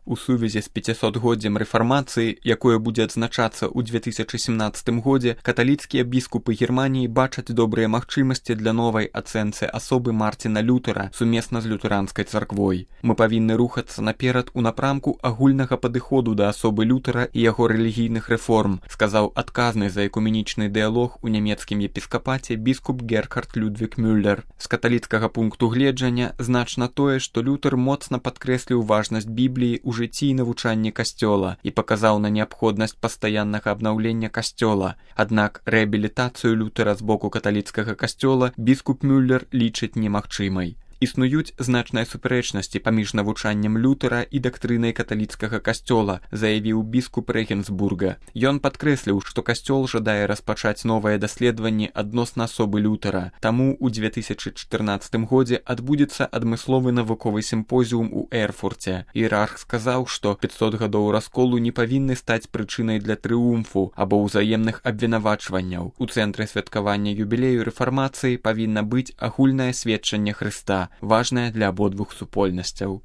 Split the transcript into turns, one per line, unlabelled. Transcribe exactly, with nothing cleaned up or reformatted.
У сувязі з пяцісотгоддзем рэфармацыі, якое будзе адзначацца ў две тысячы семнаццатым годзе, каталіцкія біскупы Германіі бачаць добрыя магчымасці для новай ацэнцы асобы Марціна Лютера сумесна з лютэранскай царквой. Мы павінны рухацца наперад у напрамку агульнага падыходу да асобы Лютера і яго рэлігійных рэформ, сказаў адказны за экуменічны дыялог у нямецкім епіскапаце біскуп Герхард Людвік Мюллер. З каталіцкага пункту гледжання значна тое, што Лютер моцна падкрэсліў важнасць Бібліі ў жыцці і навучанні касцёла і паказаў на неабходнасць пастаяннага абнаўлення касцёла. Аднак рэабілітацыю Лютера з боку каталіцкага касцёла біскуп Мюллер лічыць немагчымай. Існуюць значныя супярэчнасці паміж навучаннем Лютера і дактрынай каталіцкага касцёла, заявіў біскуп Рэгенсбурга. Ён падкрэсліў, што касцёл жадае распачаць новыя даследаванні адносна асобы Лютера. Таму ў две тысячы чатырнаццатым годзе адбудзецца адмысловы навуковы сімпозіум у Эрфурце. Іерарх сказаў, што пяцьсот гадоў расколу не павінны стаць прычынай для трыумфу або ўзаемных абвінавачванняў. У цэнтры святкавання юбілею рэфармацыі павінна быць агульнае сведчанне Хрыста, важная для абодвух супольнасцяў.